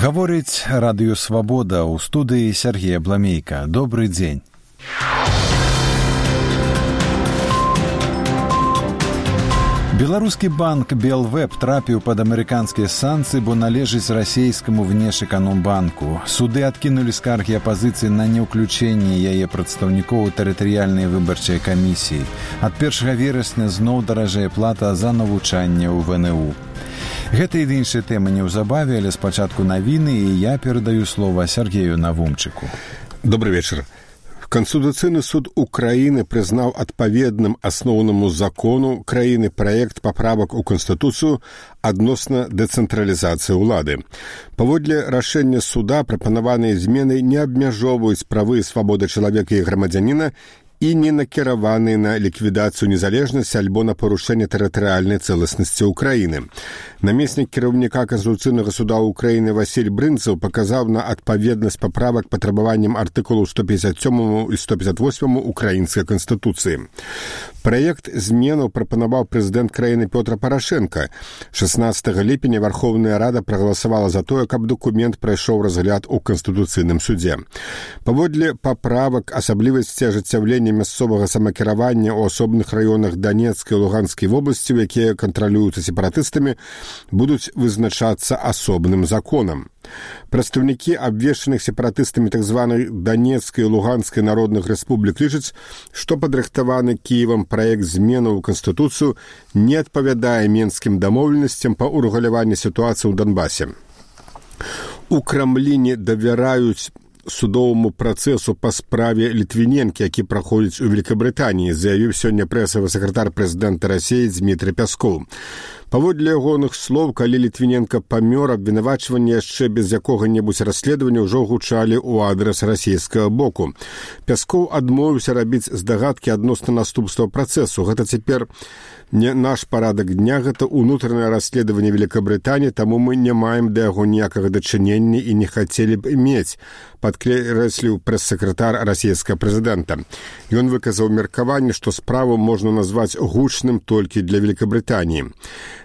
Гаворыць радыё «Свабода», у студыі Сергей Абламейка. Добрый дзень. Беларускі банк «Белвэб» трапіў пад амерыканскія санкцыі, бо належыць расійскаму внешэканомбанку. Суды адкінулі скаргі апазіцыі на неўключэнне яе прадстаўнікоў у тэрытарыяльнай выбарчай камісіі. Ад 1 верасня зноў даражэе плата за навучанне ў ВНУ. Гэта і іншыя тэмы неўзабаве, але спачатку навіны, і я перадаю слова Сергею Навумчыку. Добрый вечер. Конституцыйны суд Украины прызнаў адпаведным асноўнаму закону краіны праект паправак у Канстытуцыю адносна дэцэнтралізацыі ўлады. Паводле рашэння суда прапанаваныя змены не абмяжоўваюць правы і свабоды чалавека і грамадзяніна і не накіраваны на ліквідацыю незалежнасці альбо на парушэнне тэрытарыяльнай цэласнасці Украіны. Намеснік кіраўніка Конституцыйнага суда Украіны Васіль Брынцаў паказаў на адпаведнасць паправак патрабаванням артыкулаў 157 і 158 Украінскай Канстытуцыі. Праект зменаў прапанаваў прэзідэнт краіны Пётр Парашенка. 16 ліпеня Верховная Рада прагаласавала за тое, каб дакумент прайшоў разгляд у Канстытуцыйным судзе. Паводле паправак асаблівасці ажыццяўлення мясцовага самакіравання ў асобных раёнах Данецкай і Луганскай вобласцяў, якія кантралююцца сепаратыстамі, будуць вызначацца асобным законам. Прадстаўнікі абвешчаных сепаратыстамі так званай Данецкай і Луганскай народных рэспублік лічаць, што падрыхтаваны Кіевам праект зменаў у Канстытуцыю не адпавядае мінскім дамоўленасцям па ўрэгуляванні сітуацыі ў Донбасе. У Крамлі не давяраюць судовому працэсу па справе Літвіненкі, які праходзіць у Великабрытаніі, заявіў сёння прэсавы сакратар прэзідэнта Расіі Дмітрый Пяскоў. Паводле ягоных слоў, калі Літвіненка памёр, абвінавачванне яшчэ без якога-небудзь расследавання ўжо гучалі ў адрас расійскага боку. Пяскоў адмовіўся рабіць здагадкі адносна наступства працэсу. Гэта цяпер не наш парадак дня, гэта ўнутранае расследаванне Великабрытаніі, таму мы не маем да яго ніякага дачынення і не хацелі б мець, падкрэсліў прэс-сакратар расійскага прэзідэнта. Ён выказаў меркаванне, што справу можна назваць гучным толькі для Великабрытаніі.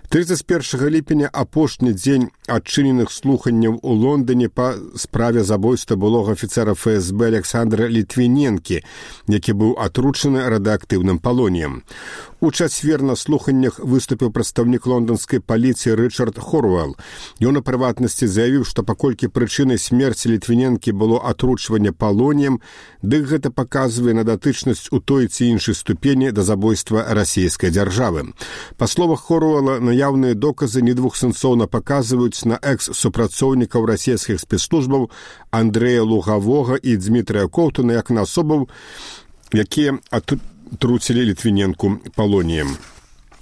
31 ліпеня апошні дзень адчыненых слуханняў у Лондоне па справе забойства былога афіцера ФСБ Александра Літвіненкі, які быў атручаны радыактыўным палоніем. У чацвер на слуханнях выступіў прадстаўнік лонданскай паліцыі Рычард Хоруэлл. Ён у прыватнасці заявіў, што паколькі прычынай смерці Літвіненкі было атручванне палоніем, дык гэта паказвае на датычнасць у той ці іншай ступені да забойства расійскай дзяржавы. Па словах Хоруэлла, наяўныя доказы недвухсэнсоўна паказваюць на экс-супрацоўнікаў расійскіх спецслужбаў Андрэя Лугавога і Дмітрыя Коўтуна як на асобаў, якія атруцілі Літвіненку палоніем.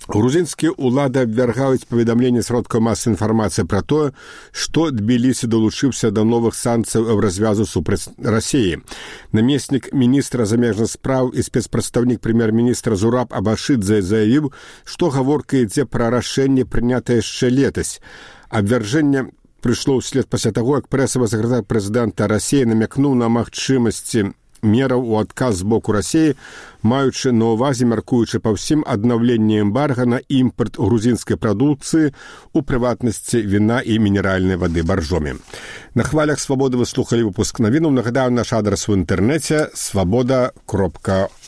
Грузінскія ўлады абвяргаюць паведамленне сродкаў масавай інфармацыі пра тое, што Тбілісі далучыўся да новых санкцыяў ў развязу супраць Расіі. Намеснік міністра замежных спраў і спецпрадстаўнік прэм'ер-міністра Зураб Абашидзе заявіў, што гаворка ідзе пра рашэнне, прынятае яшчэ летась. Абвяржэнне прыйшло ўслед пасля таго, як прэсавы сакратар прэзідэнта Расіі намякнуў на магчымасці мераў у адказ з боку Расіі, маючы на ўвазе, мяркуючы па ўсім, аднаўленне эмбарга на імпарт грузінскай прадукцыі, у прыватнасці віна і мінеральнай вады баржомі. На хвалях «Свабоды» вы слухалі выпуск навінаў. Нагадаю, наш адрас у інтэрнэце свабода.орг.